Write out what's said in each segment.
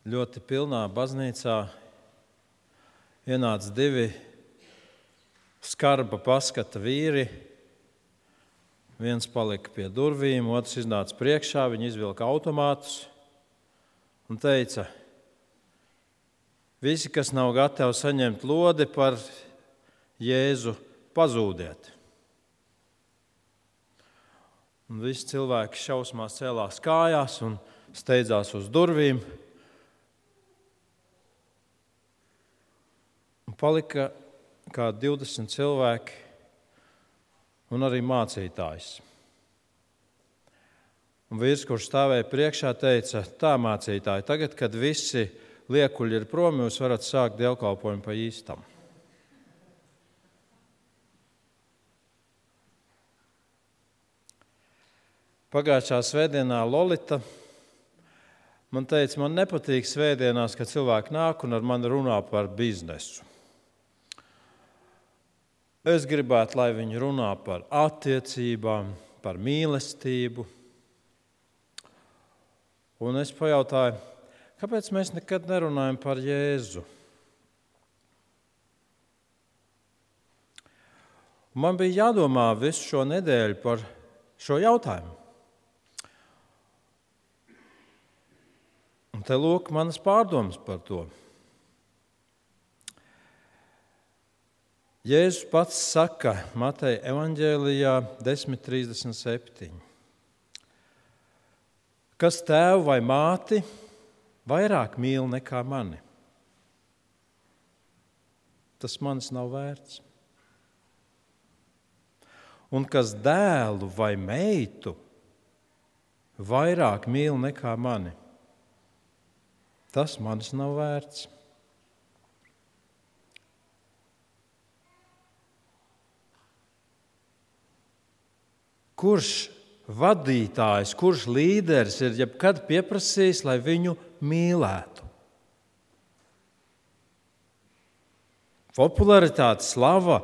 ļoti pilnā baznīcā ienāca 2 skarba paskata vīri. Viens palika pie durvīm, otrs iznāca priekšā, viņi izvilka automātus un teica: visi, kas nav gatavi saņemt lodi par Jēzu, pazūdiet. Un visi cilvēki šausmās cēlās kājās un steidzās uz durvīm. Un palika kā 20 cilvēki un arī mācītājs. Un vīrs, kurš stāvēja priekšā, teica: tā, mācītāji, tagad, kad visi liekuļi ir prom, jūs varat sākt dievkalpojumu pa īstam. Pagājušā svētdienā Lolita man teica, man nepatīk svētdienās, kad cilvēki nāk un ar mani runā par biznesu. Es gribētu, lai viņi runā par attiecībām, par mīlestību. Un es pajautāju, kāpēc mēs nekad nerunājam par Jēzu? Man bija jādomā visu šo nedēļu par šo jautājumu. Un te lūk manas pārdomas par to. Jēzus pats saka Mateja evaņģēlijā 10:37. Kas tēvu vai māti vairāk mīl nekā mani, tas manis nav vērts. Un kas dēlu vai meitu vairāk mīl nekā mani, tas manis nav vērts. Kurš vadītājs, kurš līderis ir jebkad pieprasījis, lai viņu mīlētu? Popularitāte, slava,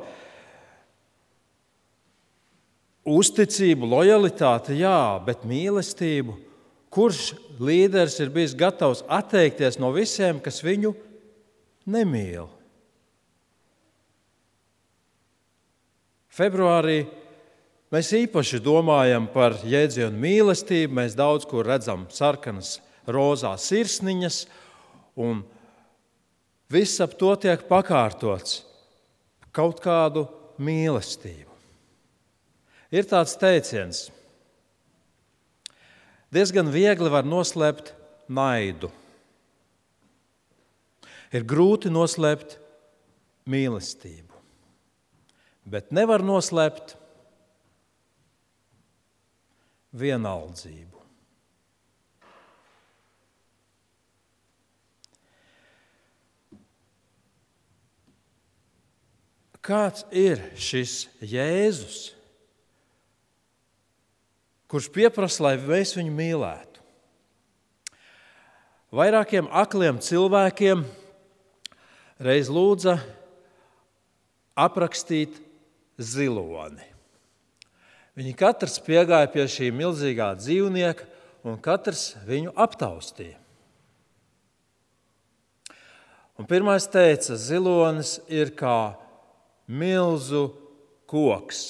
uzticību, lojalitāte, jā, bet mīlestību. Kurš līderis ir bijis gatavs atteikties no visiem, kas viņu nemīl? Februārī mēs īpaši domājam par jēdzienu mīlestību. Mēs daudz kur redzam sarkanas, rozās sirsniņas, un viss ap to tiek pakārtots kaut kādu mīlestību. Ir tāds teiciens: diezgan viegli var noslēpt naidu. Ir grūti noslēpt mīlestību, bet nevar noslēpt vienaldzību. Kāds ir šis Jēzus, kurš pieprasa, lai mēs viņu mīlētu? Vairākiem akliem cilvēkiem reiz lūdza aprakstīt ziloni. Viņi katrs piegāja pie šī milzīgā dzīvnieka, un katrs viņu aptaustīja. Un pirmais teica, zilonis ir kā milzu koks,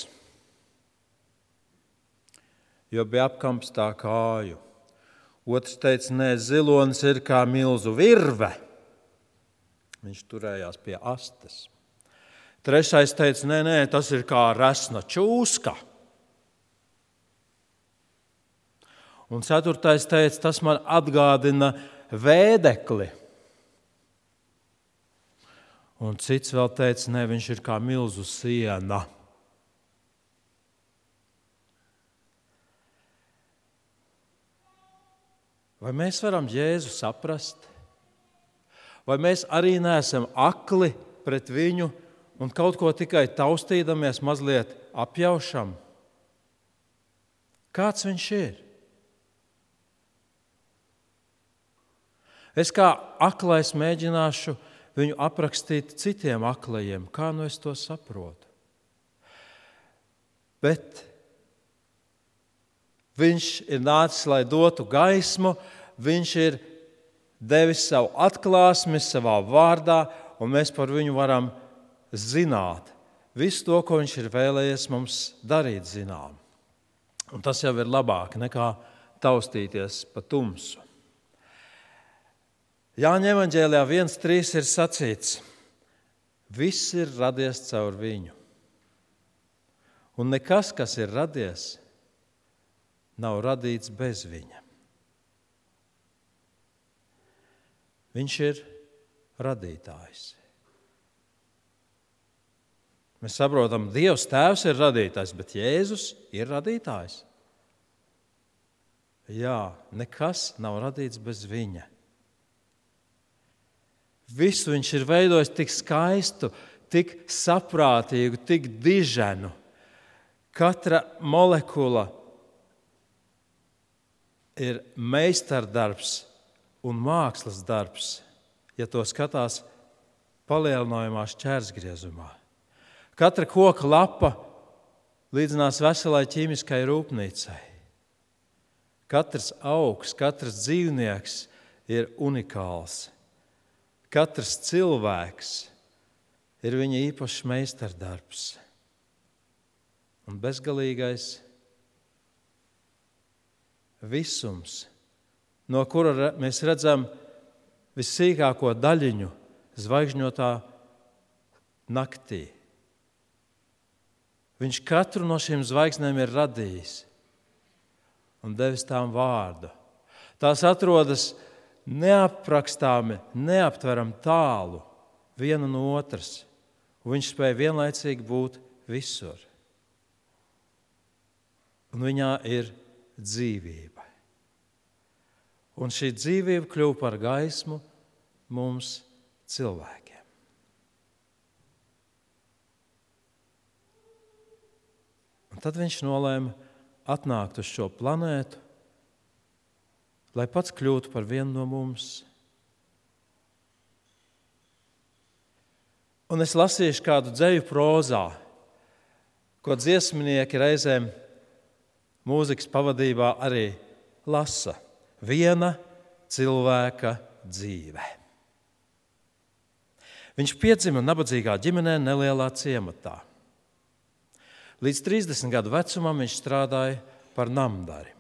jo bija apkamps tā kāju. Otrs teica, nē, zilonis ir kā milzu virve. Viņš turējās pie astes. Trešais teica, nē, tas ir kā resna čūska. Un ceturtais teica, tas man atgādina vēdekli. Un cits vēl teica, nē, viņš ir kā milzu siena. Vai mēs varam Jēzu saprast? Vai mēs arī neesam akli pret viņu un kaut ko tikai taustīdamies mazliet apjaušam? Kāds viņš ir? Es kā aklais mēģināšu viņu aprakstīt citiem aklajiem, kā nu es to saprotu. Bet viņš ir nācis, lai dotu gaismu, viņš ir devis savu atklāsmi savā vārdā, un mēs par viņu varam zināt visu to, ko viņš ir vēlējies mums darīt zinām. Un tas jau ir labāk nekā taustīties pa tumsu. Jāņa evaņģēlijā 1:3 ir sacīts: viss ir radies caur viņu. Un nekas, kas ir radies, nav radīts bez viņa. Viņš ir radītājs. Mēs saprotam, Dievs Tēvs ir radītājs, bet Jēzus ir radītājs. Jā, nekas nav radīts bez viņa. Visu viņš ir veidojis tik skaistu, tik saprātīgu, tik diženu. Katra molekula ir meistardarbs un mākslas darbs, ja to skatās palielinājumā šķērsgriezumā. Katra koka lapa līdzinās veselai ķīmiskai rūpnīcai. Katrs augs, katrs dzīvnieks ir unikāls. Katrs cilvēks ir viņa īpašs meistardarbs. Un bezgalīgais visums, no kura mēs redzam vissīkāko daļiņu zvaigžņotā naktī. Viņš katru no šīm zvaigznēm ir radījis un devis tām vārdu. Tās atrodas neaprakstāmi, neaptveram tālu viena no otras, un viņš spēja vienlaicīgi būt visur. Un viņā ir dzīvība. Un šī dzīvība kļuva par gaismu mums cilvēkiem. Un tad viņš nolēma atnākt uz šo planētu, lai pats kļūtu par vienu no mums. Un es lasīšu kādu dzeju prozā, ko dziesminieki reizēm mūzikas pavadībā arī lasa. Viena cilvēka dzīve. Viņš piedzima nabadzīgā ģimenē nelielā ciematā. Līdz 30 gadu vecumam viņš strādāja par namdari.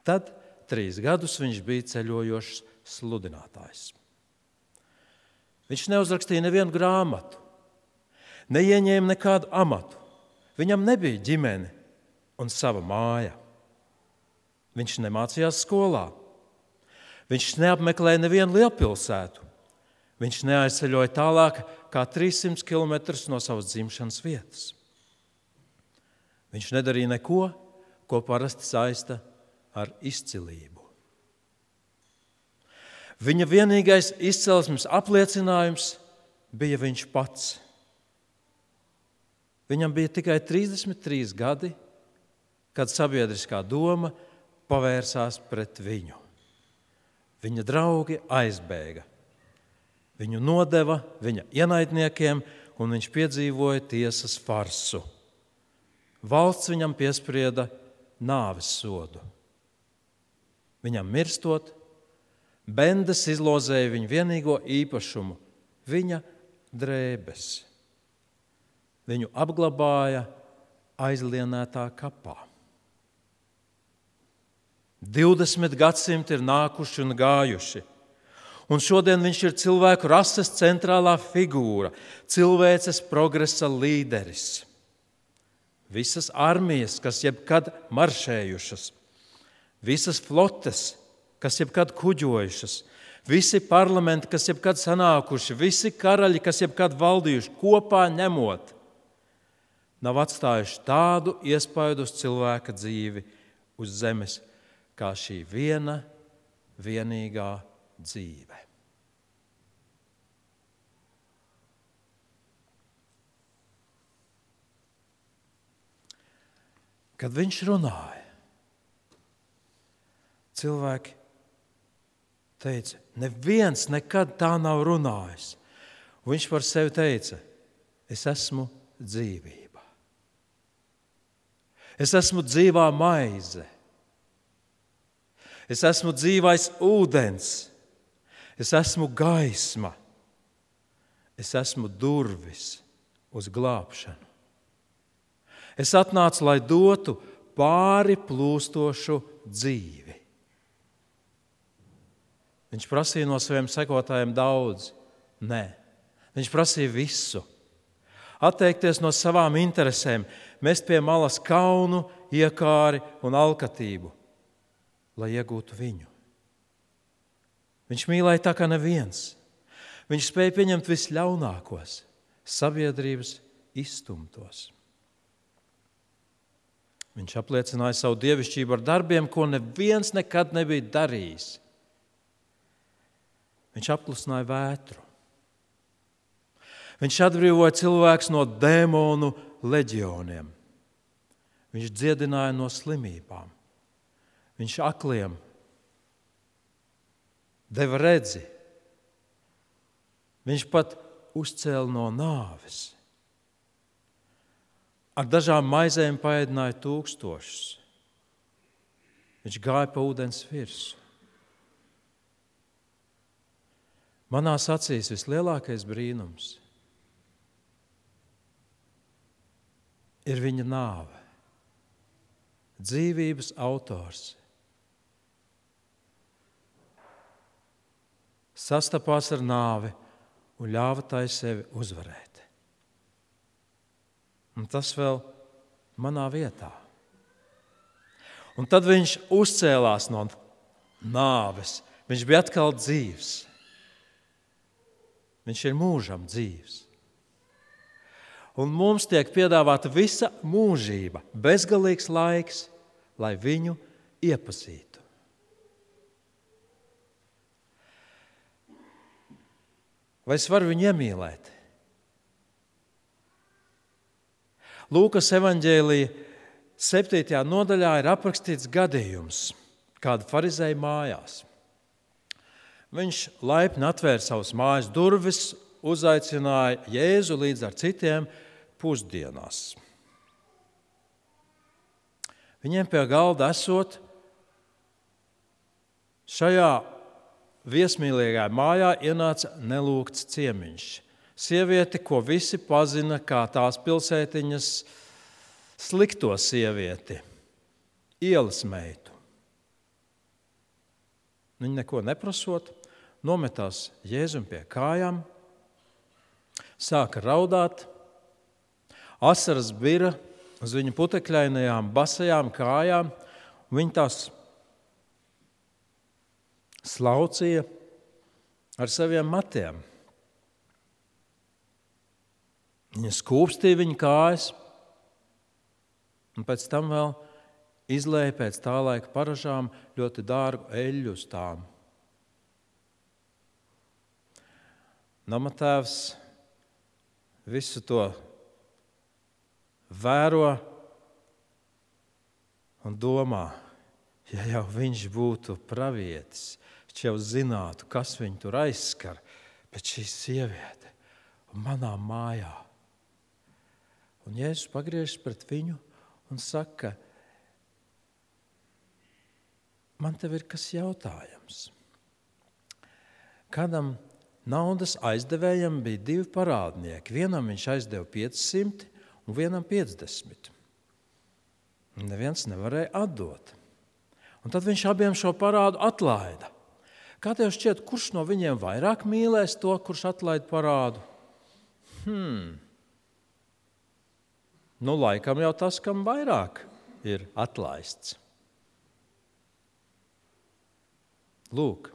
Tad 3 gadus viņš bija ceļojošs sludinātājs. Viņš neuzrakstīja nevienu grāmatu, neieņēma nekādu amatu. Viņam nebija ģimene un sava māja. Viņš nemācījās skolā. Viņš neapmeklēja nevienu lielpilsētu. Viņš neaizceļoja tālāk kā 300 kilometrus no savas dzimšanas vietas. Viņš nedarīja neko, ko parasti saista ar izcilību. Viņa vienīgais izcelsmes apliecinājums bija viņš pats. Viņam bija tikai 33 gadi, kad sabiedriskā doma pavērsās pret viņu. Viņa draugi aizbēga. Viņu nodeva viņa ienaidniekiem, un viņš piedzīvoja tiesas farsu. Valsts viņam piesprieda nāves sodu. Viņam mirstot, bendes izlozēja viņa vienīgo īpašumu – viņa drēbes. Viņu apglabāja aizlienētā kapā. 20 gadsimti ir nākuši un gājuši, un šodien viņš ir cilvēku rases centrālā figūra, cilvēces progresa līderis. Visas armijas, kas jebkad maršējušas, visas flotes, kas jebkad kuģojušas, visi parlamenti, kas jebkad sanākuši, visi karaļi, kas jebkad valdījuši, kopā ņemot, nav atstājuši tādu iespaidu uz cilvēka dzīvi uz zemes, kā šī viena vienīgā dzīve. Kad viņš runāja, cilvēki teica, neviens nekad tā nav runājis. Un viņš par sevi teica, es esmu dzīvība. Es esmu dzīvā maize. Es esmu dzīvais ūdens. Es esmu gaisma. Es esmu durvis uz glābšanu. Es atnācu, lai dotu pāri plūstošu dzīvi. Viņš prasīja no saviem sekotājiem daudz. Nē, viņš prasīja visu. Atteikties no savām interesēm, mest pie malas kaunu, iekāri un alkatību, lai iegūtu viņu. Viņš mīlēja tā kā neviens. Viņš spēja pieņemt visļaunākos, sabiedrības izstumtos. Viņš apliecināja savu dievišķību ar darbiem, ko neviens nekad nebija darījis. Viņš apklusināja vētru. Viņš atbrīvoja cilvēkus no dēmonu leģioniem. Viņš dziedināja no slimībām. Viņš akliem deva redzi. Viņš pat uzcēla no nāves. Ar dažām maizēm paēdināja tūkstošus. Viņš gāja pa ūdens virsmu. Manās acīs vislielākais brīnums ir viņa nāve. Dzīvības autors sastapās ar nāvi un ļāva tai sevi uzvarēt. Un tas vēl manā vietā. Un tad viņš uzcēlās no nāves. Viņš bija atkal dzīvs. Viņš ir mūžam dzīvs. Un mums tiek piedāvāta visa mūžība, bezgalīgs laiks, lai viņu iepazītu. Vai es varu viņu iemīlēt? Lūkas evaņģēlija 7. nodaļā ir aprakstīts gadījums kāda farizēja mājās. Viņš laipni atvēra savas mājas durvis, uzaicināja Jēzu līdz ar citiem pusdienās. Viņiem pie galda esot, šajā viesmīlīgajā mājā ienāca nelūgts ciemiņš. Sieviete, ko visi pazina kā tās pilsētiņas slikto sievieti, ielas meitu. Viņa neko neprasot, nometās Jēzum pie kājām, sāka raudāt, asaras bira uz viņa putekļainajām basajām kājām, un viņa tās slaucīja ar saviem matiem. Viņa skūpstīja viņa kājas, un pēc tam vēl izlēja pēc tā laika paražām ļoti dārgu eļļu uz tām. Namatēvs visu to vēro un domā, ja jau viņš būtu pravietis, viņš jau zinātu, kas viņu tur aizskar, bet šī sieviete manā mājā. Un Jēzus pagriežas pret viņu un saka, man tev ir kas jautājams. Kādam naudas aizdevējam bija 2 parādnieki. Vienam viņš aizdeva 500 un vienam 50. Un neviens nevarēja atdot. Un tad viņš abiem šo parādu atlaida. Kā tev šķiet, kurš no viņiem vairāk mīlēs to, kurš atlaida parādu? Nu, laikam jau tas, kam vairāk ir atlaists. Lūk,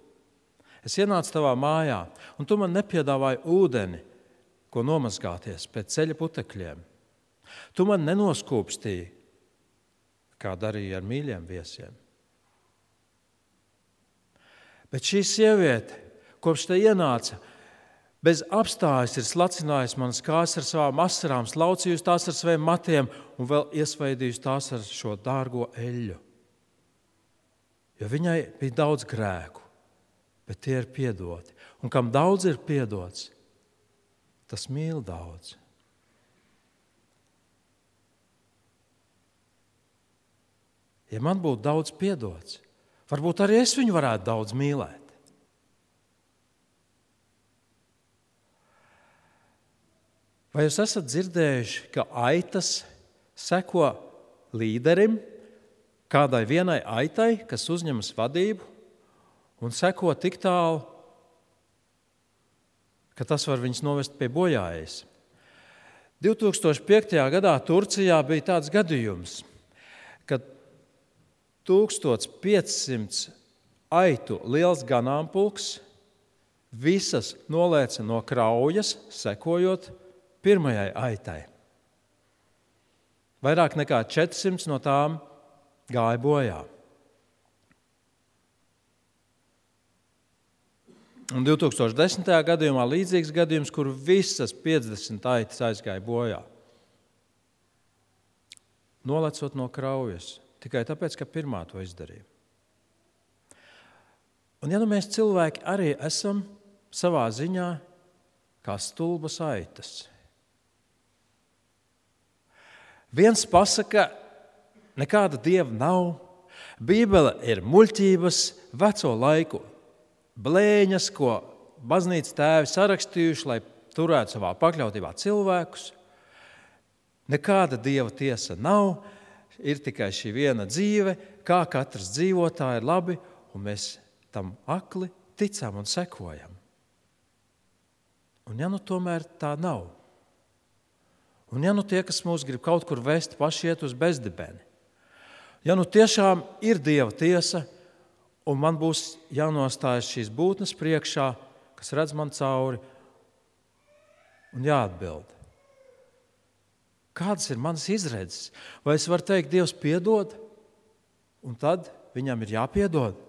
es ienācu tavā mājā, un tu man nepiedāvāji ūdeni, ko nomazgāties pēc ceļa putekļiem. Tu man nenoskūpstīji, kā darīja ar mīļiem viesiem. Bet šī sieviete, kopš te ienāca, bez apstājas ir slacinājusi manas kājas ar savām asarām, slaucījusi tās ar saviem matiem un vēl iesvaidījusi tās ar šo dārgo eļļu. Jo viņai bija daudz grēku, bet tie ir piedoti. Un kam daudz ir piedots, tas mīl daudz. Ja man būtu daudz piedots, varbūt arī es viņu varētu daudz mīlēt. Vai jūs esat dzirdējuši, ka aitas seko līderim, kādai vienai aitai, kas uzņemas vadību un seko tik tālu, ka tas var viņus novest pie bojājas? 2005. gadā Turcijā bija tāds gadījums, kad 1500 aitu liels ganāmpulks visas nolēca no kraujas, sekojot pirmajai aitai. Vairāk nekā 400 no tām gāja bojā. Un 2010. gadījumā līdzīgs gadījums, kur visas 50 aitas aizgāja bojā. Nolecot no kraujas, tikai tāpēc, ka pirmā to izdarīja. Un ja nu mēs cilvēki arī esam savā ziņā kā stulbas aitas. Viens pasaka, nekāda dieva nav, Bībele ir muļķības, veco laiku blēņas, ko baznīcas tēvi sarakstījuši, lai turētu savā pakļautībā cilvēkus. Nekāda dieva tiesa nav, ir tikai šī viena dzīve, kā katrs dzīvo, tā ir labi, un mēs tam akli ticam un sekojam. Un ja nu tomēr tā nav, un ja nu tie, kas mūs grib kaut kur vest, paši iet uz bezdibeni, ja nu tiešām ir dieva tiesa, un man būs jānostājas šīs būtnes priekšā, kas redz man cauri, un jāatbild. Kādas ir manas izredzes? Vai es varu teikt, Dievs piedod, un tad viņam ir jāpiedod?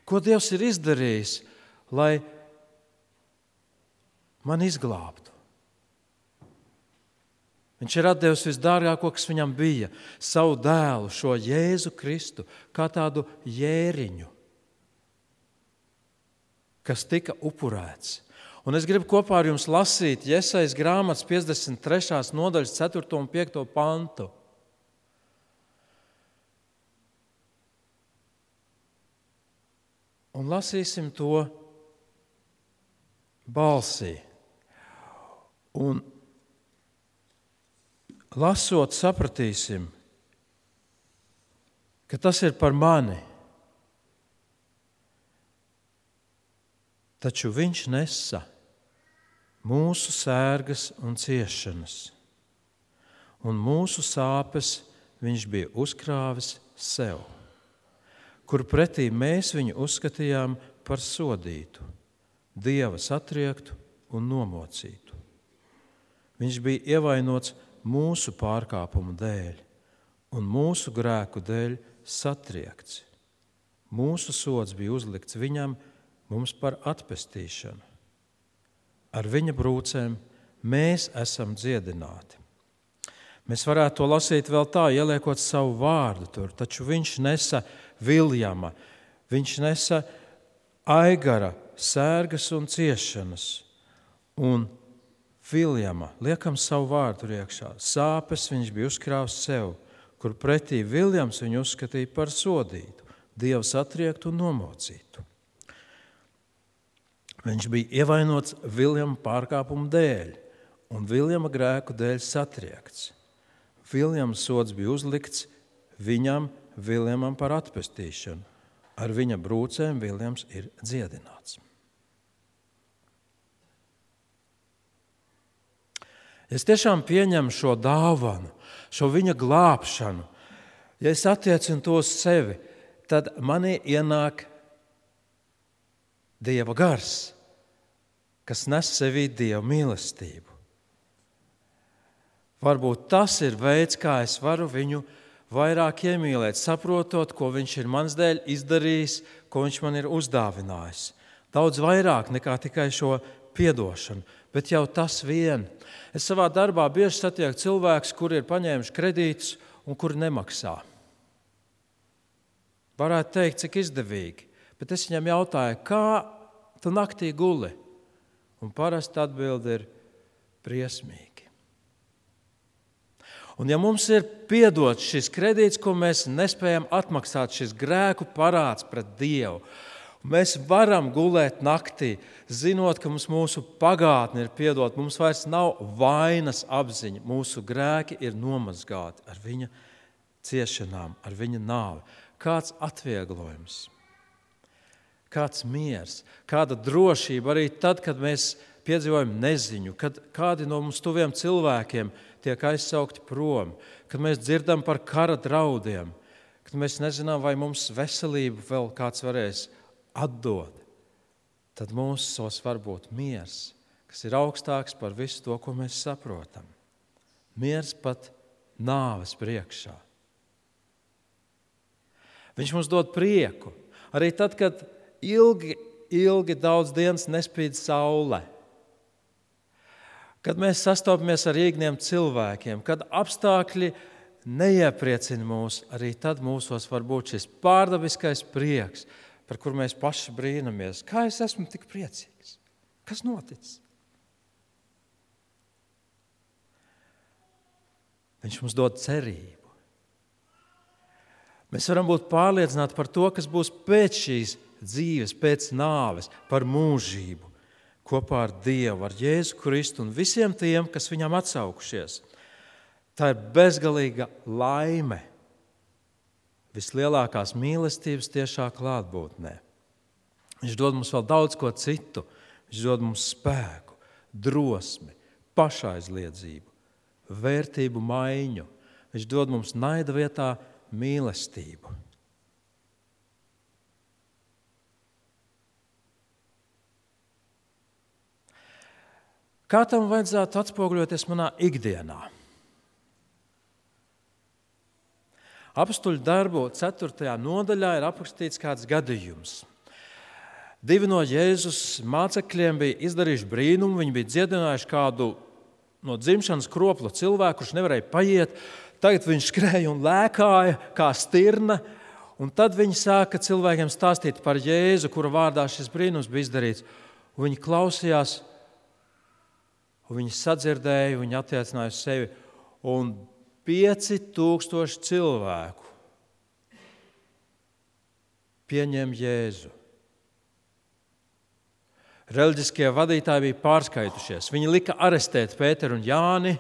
Ko Dievs ir izdarījis, lai man izglābtu? Viņš ir atdevis visdārgāko, kas viņam bija, savu dēlu, šo Jēzu Kristu, kā tādu jēriņu, kas tika upurēts. Un es gribu kopā ar jums lasīt Jesajas grāmatas 53. nodaļas 4. un 5. pantu. Un lasīsim to balsī. Un lasot, sapratīsim, ka tas ir par mani. Taču viņš nesa mūsu sērgas un ciešanas, un mūsu sāpes viņš bija uzkrāvis sev, kur pretī mēs viņu uzskatījām par sodītu, Dieva satriektu un nomocītu. Viņš bija ievainots mūsu pārkāpumu dēļ un mūsu grēku dēļ satriekts. Mūsu sods bija uzlikts viņam, mums par atpestīšanu. Ar viņa brūcēm mēs esam dziedināti. Mēs varētu to lasīt vēl tā, ieliekot savu vārdu tur, taču viņš nesa Viljama, viņš nesa Aigara sērgas un ciešanas, un Viljama, liekam savu vārdu iekšā, sāpes viņš bija uzkrāvis sev, kur pretī Viljams viņu uzskatīja par sodītu, Dievu satriektu un nomocītu. Viņš bija ievainots Viljama pārkāpumu dēļ un Viljama grēku dēļ satriekts. Viljama sods bija uzlikts viņam, Viljamam par atpestīšanu. Ar viņa brūcēm Viljams ir dziedināts. Es tiešām pieņemu šo dāvanu, šo viņa glābšanu. Ja es attiecinu to uz sevi, tad manī ienāk Dieva gars, kas nes sevī Dieva mīlestību. Varbūt tas ir veids, kā es varu viņu vairāk iemīlēt, saprotot, ko viņš ir mans dēļ izdarījis, ko viņš man ir uzdāvinājis. Daudz vairāk nekā tikai šo piedošanu, bet jau tas vien. Es savā darbā bieži satieku cilvēkus, kuri ir paņēmuši kredītus un kuri nemaksā. Varētu teikt, cik izdevīgi, bet es viņam jautāju, kā tu naktī guli? Un parasti atbilde ir briesmīgi. Un ja mums ir piedots šis kredīts, ko mēs nespējam atmaksāt, šis grēku parāds pret Dievu, Mēs varam gulēt naktī, zinot, ka mūsu pagātne ir piedota. Mums vairs nav vainas apziņa. Mūsu grēki ir nomazgāti ar viņa ciešanām, ar viņa nāvi. Kāds atvieglojums, kāds miers, kāda drošība arī tad, kad mēs piedzīvojam neziņu, kad kādi no mums tuviem cilvēkiem tiek aizsaukti prom, kad mēs dzirdam par kara draudiem, kad mēs nezinām, vai mums veselību vēl kāds varēs atdod, tad mūsos var būt miers, kas ir augstāks par visu to, ko mēs saprotam. Miers pat nāves priekšā. Viņš mums dod prieku. Arī tad, kad ilgi daudz dienas nespīd saule. Kad mēs sastopamies ar īgniem cilvēkiem, kad apstākļi neiepriecina mūs, arī tad mūsos var būt šis pārdabiskais prieks, par kur mēs paši brīnamies. Kā es esmu tik priecīgs? Kas noticis? Viņš mums dod cerību. Mēs varam būt pārliecināti par to, kas būs pēc šīs dzīves, pēc nāves, par mūžību, kopā ar Dievu, ar Jēzu Kristu un visiem tiem, kas viņam atsaukušies. Tā ir bezgalīga laime, vislielākās mīlestības tiešā klātbūtnē. Viņš dod mums vēl daudz ko citu. Viņš dod mums spēku, drosmi, pašaizliedzību, vērtību maiņu. Viņš dod mums naida vietā mīlestību. Kā tam vajadzētu atspoguļoties manā ikdienā? Apstuļu darbu 4. nodaļā ir aprakstīts kāds gadījums. 2 no Jēzus mācekļiem bija izdarījuši brīnumu, viņi bija dziedinājuši kādu no dzimšanas kropla cilvēku, kurš nevarēja paiet. Tagad viņš skrēja un lēkāja kā stirna, un tad viņi sāka cilvēkiem stāstīt par Jēzu, kura vārdā šis brīnums bija izdarīts. Un viņi klausījās, un viņi sadzirdēja, viņi attiecināja uz sevi, un 5000 cilvēku pieņem Jēzu. Reliģiskie vadītāji bija pārskaitušies. Viņi lika arestēt Pēteru un Jāni,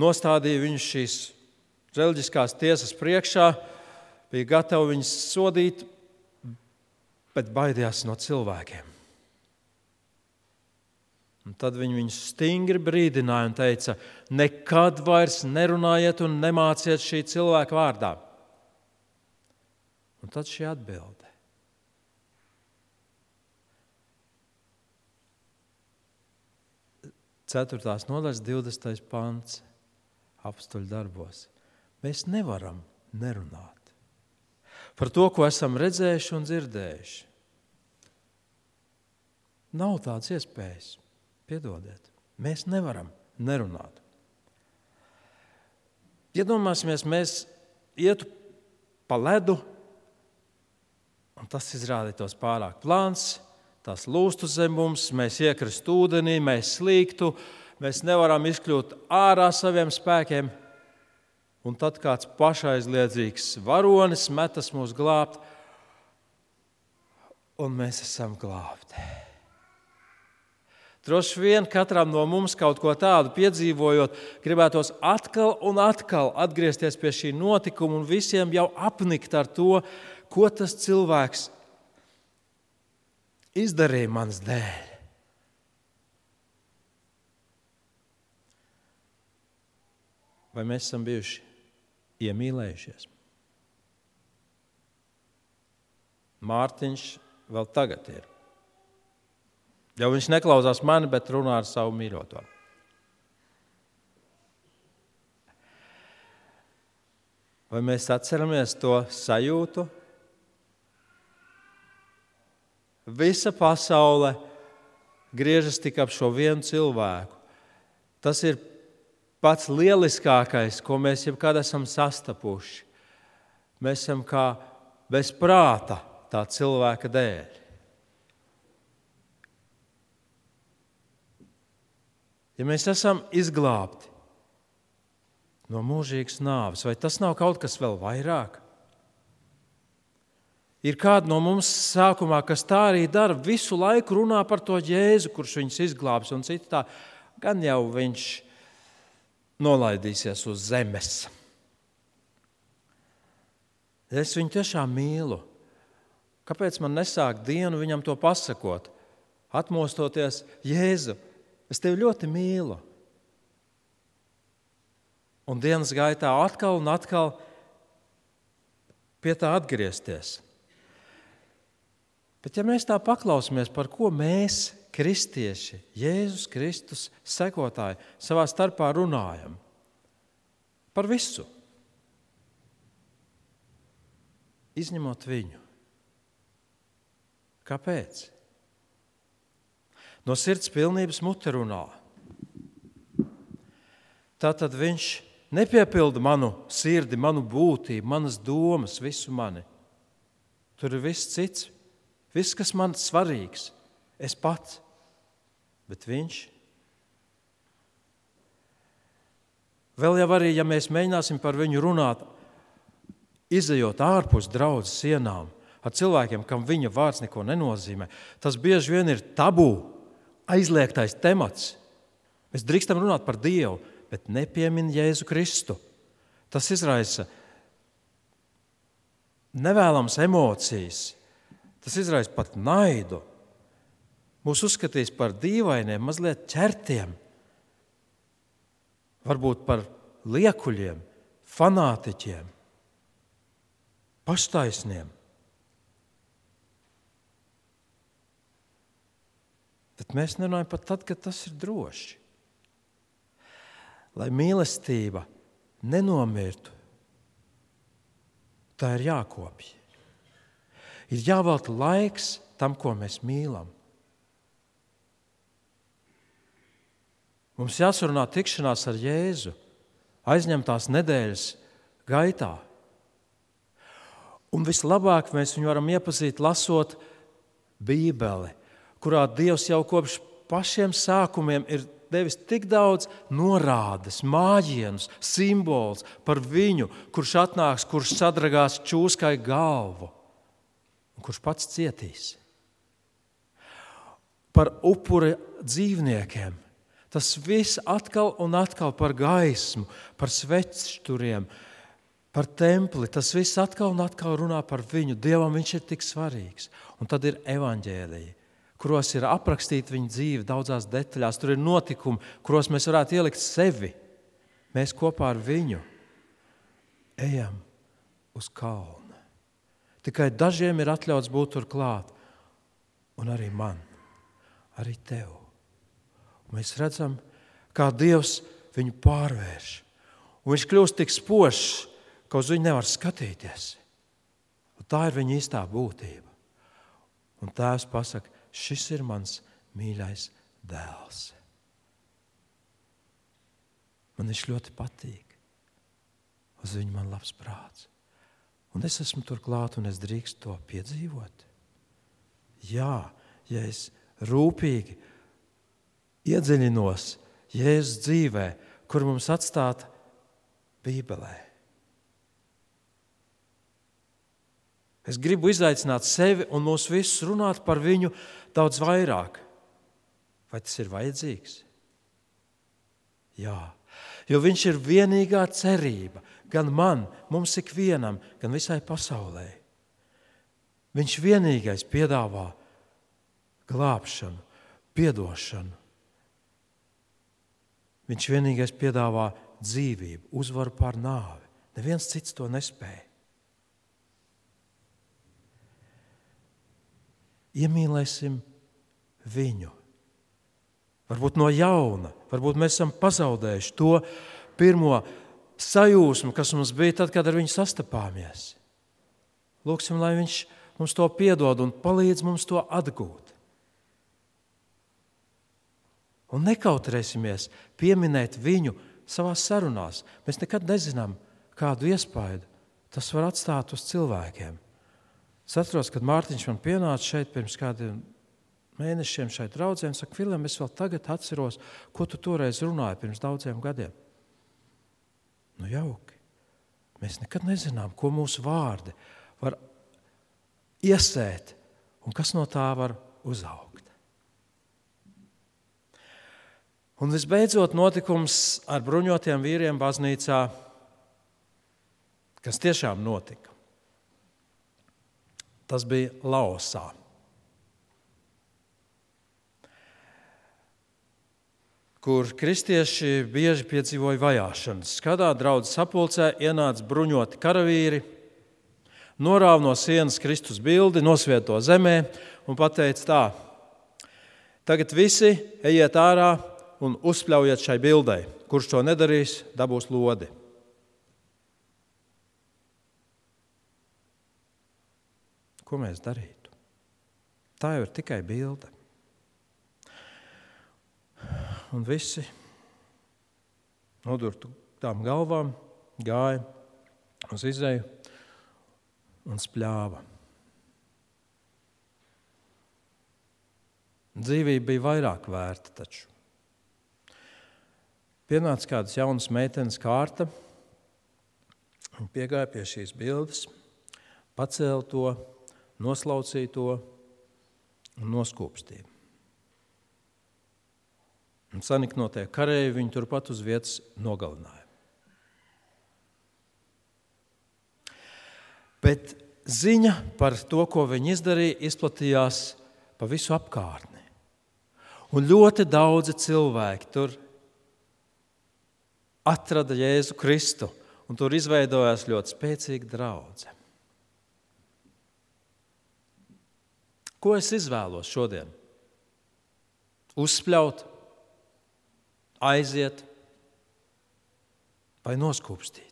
nostādīja viņus šīs reliģiskās tiesas priekšā, bija gatavi viņus sodīt, bet baidījās no cilvēkiem. Un tad viņi viņus stingri brīdināja un teica, nekad vairs nerunājiet un nemāciet šī cilvēka vārdā. Un tad šī atbilde. Ceturtās nodaļas 20. pants apstuļu darbos. Mēs nevaram nerunāt par to, ko esam redzējuši un dzirdējuši. Nav tādas iespējas. Piedodiet, mēs nevaram nerunāt. Iedomāsimies, mēs ietu pa ledu, un tas izrādītos pārāk plāns, tas lūstu zem mums, mēs iekristu ūdenī, mēs slīgtu, mēs nevaram izkļūt ārā saviem spēkiem, un tad kāds pašaizliedzīgs varonis metas mūs glābt, un mēs esam glābti. Droši vien katram no mums kaut ko tādu piedzīvojot, gribētos atkal un atkal atgriezties pie šī notikuma un visiem jau apnikt ar to, ko tas cilvēks izdarīja manas dēļ. Vai mēs esam bijuši iemīlējušies? Mārtiņš vēl tagad ir. Jau viņš neklausās mani, bet runā ar savu mīļoto. Vai mēs atceramies to sajūtu? Visa pasaule griežas tik ap šo vienu cilvēku. Tas ir pats lieliskākais, ko mēs jebkad esam sastapuši. Mēs esam kā bez prāta tā cilvēka dēļ. Ja mēs esam izglābti no mūžīgas nāves, vai tas nav kaut kas vēl vairāk? Ir kādi no mums sākumā, kas tā arī dara, visu laiku runā par to Jēzu, kurš viņus izglābs, un citi tā, gan jau viņš nolaidīsies uz zemes. Es viņu tiešām mīlu. Kāpēc man nesāk dienu viņam to pasakot? Atmostoties, Jēzu, es tevi ļoti mīlu. Un dienas gaitā atkal un atkal pie tā atgriezties. Bet ja mēs tā paklausāmies, par ko mēs, kristieši, Jēzus Kristus sekotāji, savā starpā runājam, par visu, izņemot viņu. Kāpēc? No sirds pilnības mute runā. Tātad viņš nepiepilda manu sirdi, manu būtību, manas domas, visu mani. Tur ir viss cits. Viss, kas man svarīgs, es pats, bet viņš. Vēl jau arī, ja mēs mēģināsim par viņu runāt, izejot ārpus draudzes sienām, ar cilvēkiem, kam viņa vārds neko nenozīmē, tas bieži vien ir tabū, aizliegtais temats. Mēs drīkstam runāt par Dievu, bet nepiemin Jēzu Kristu. Tas izraisa nevēlams emocijas. Tas izraisa pat naidu. Mūs uzskatīs par dīvainiem, mazliet ķertiem, varbūt par liekuļiem, fanātiķiem, paštaisniem. Bet mēs nerunājam pat tad, kad tas ir droši. Lai mīlestība nenomirtu, tā ir jākopj. Ir jāvelta laiks tam, ko mēs mīlam. Mums jāsarunā tikšanās ar Jēzu aizņemtās nedēļas gaitā. Un vislabāk mēs viņu varam iepazīt, lasot Bībeli, kurā Dievs jau kopš pašiem sākumiem ir devis tik daudz norādes, mājienus, simbolus par viņu, kurš atnāks, kurš sadragās čūskai galvu. Kurš pats cietīs. Par upura dzīvniekiem. Tas viss atkal un atkal par gaismu, par svečturiem, par templi. Tas viss atkal un atkal runā par viņu. Dievam viņš ir tik svarīgs. Un tad ir evaņģēliji, kuros ir aprakstīta viņa dzīve daudzās detaļās. Tur ir notikumi, kuros mēs varētu ielikt sevi. Mēs kopā ar viņu ejam uz kalnu. Tikai dažiem ir atļauts būt tur klāt. Un arī man, arī tev. Un mēs redzam, kā Dievs viņu pārvērš. Un viņš kļūst tik spožs, ka uz viņu nevar skatīties. Un tā ir viņa īstā būtība. Un Tēvs pasaka, šis ir mans mīļais dēls. Man viņš ļoti patīk. Uz viņu man labs prāts. Un es esmu tur klāt, un es drīkstu to piedzīvot. Jā, ja es rūpīgi iedziļinos Jēzus dzīvē, kur mums atstāta Bībelē. Es gribu izaicināt sevi un mūs visus runāt par viņu daudz vairāk. Vai tas ir vajadzīgs? Jā, jo viņš ir vienīgā cerība. Gan man, mums ikvienam, gan visai pasaulē. Viņš vienīgais piedāvā glābšanu, piedošanu. Viņš vienīgais piedāvā dzīvību, uzvaru pār nāvi. Neviens cits to nespēja. Iemīlēsim viņu. Varbūt no jauna, varbūt mēs esam pazaudējuši to pirmo sajūsmu, kas mums bija tad, kad ar viņu sastapāmies. Lūksim, lai viņš mums to piedod un palīdz mums to atgūt. Un nekautrēsimies pieminēt viņu savās sarunās. Mēs nekad nezinām, kādu iespaidu tas var atstāt uz cilvēkiem. Es atceros, kad Mārtiņš man pienāca šeit pirms kādiem mēnešiem šeit draudzē un saka, Vilem, es vēl tagad atceros, ko tu toreiz runāji pirms daudziem gadiem. Nu jauki. Mēs nekad nezinām, ko mūsu vārdi var iesēt un kas no tā var uzaugt. Un visbeidzot notikums ar bruņotiem vīriem baznīcā, kas tiešām notika. Tas bija Laosā. Kur kristieši bieži piedzīvoja vajāšanas. Kādā draudzes sapulcē ienāca bruņoti karavīri, norāva no sienas Kristus bildi, nosvieto zemē un pateica tā: tagad visi ejiet ārā un uzspļaujiet šai bildei. Kurš to nedarīs, dabūs lodi. Ko mēs darītu? Tā jau ir tikai bilde. Un visi nodurtām galvām gāja uz izeju un spļāva. Dzīvība bija vairāk vērta taču. Pienāca kādas jaunas meitenes kārta, un piegāja pie šīs bildes, pacēla to, noslaucīja to un noskūpstīja. Un saniknotie kareji viņu turpat uz vietas nogalināja. Bet ziņa par to, ko viņi izdarīja, izplatījās pa visu apkārtni. Un ļoti daudzi cilvēki tur atrada Jēzu Kristu, un tur izveidojās ļoti spēcīga draudze. Ko es izvēlos šodien? Uzspļaut, aiziet vai noskūpstīt?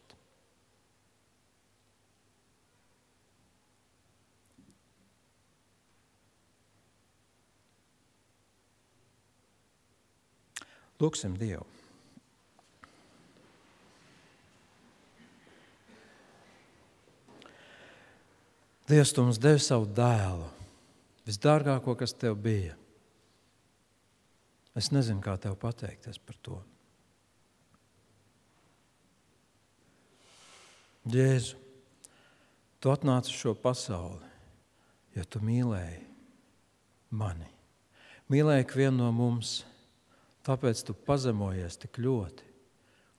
Lūksim Dievu. Dievs, tu mums devi savu dēlu, visdārgāko, kas tev bija. Es nezinu, kā tev pateikties par to. Jēzu, tu atnāci uz šo pasauli, jo tu mīlēji mani. Mīlēji ikvienu no mums, tāpēc tu pazemojies tik ļoti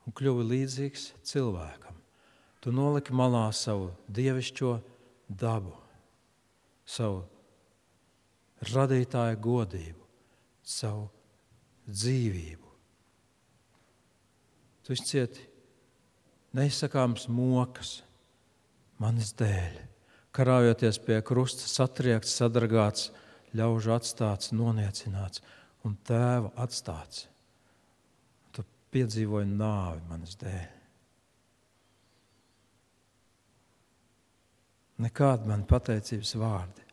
un kļuvi līdzīgs cilvēkam. Tu noliki malā savu dievišķo dabu, savu radītāja godību, savu dzīvību. Tu izcieti neizsakāmas mokas manis dēļ, karājoties pie krusta, satriekts, sadragāts, ļaužu atstāts, noniecināts un tēva atstāts. Tu piedzīvoji nāvi manis dēļ. Nekādi man pateicības vārdi.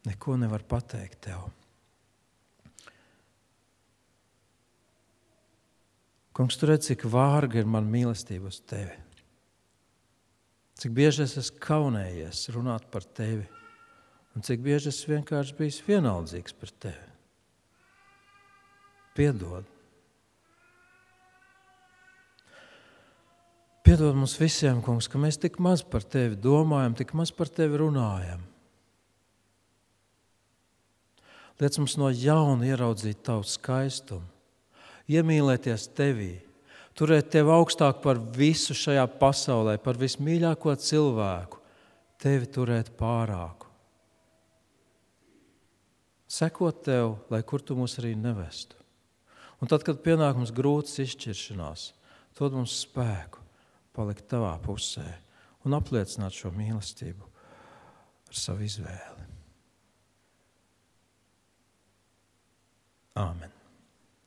Neko nevar pateikt tev. Kungs, tu redz, cik vārga ir man mīlestība uz tevi. Cik bieži es esmu kaunējies runāt par tevi. Un cik bieži es vienkārši bijis vienaldzīgs par tevi. Piedod. Piedod mums visiem, Kungs, ka mēs tik maz par tevi domājam, tik maz par tevi runājam. Liec mums no jauna ieraudzīt tavu skaistumu, iemīlēties tevī, turēt tevi augstāk par visu šajā pasaulē, par vismīļāko cilvēku, tevi turēt pārāku. Sekot tev, lai kur tu mūs arī nevestu. Un tad, kad pienāk mums grūtas izšķiršanās, dod mums spēku palikt tavā pusē un apliecināt šo mīlestību ar savu izvēli.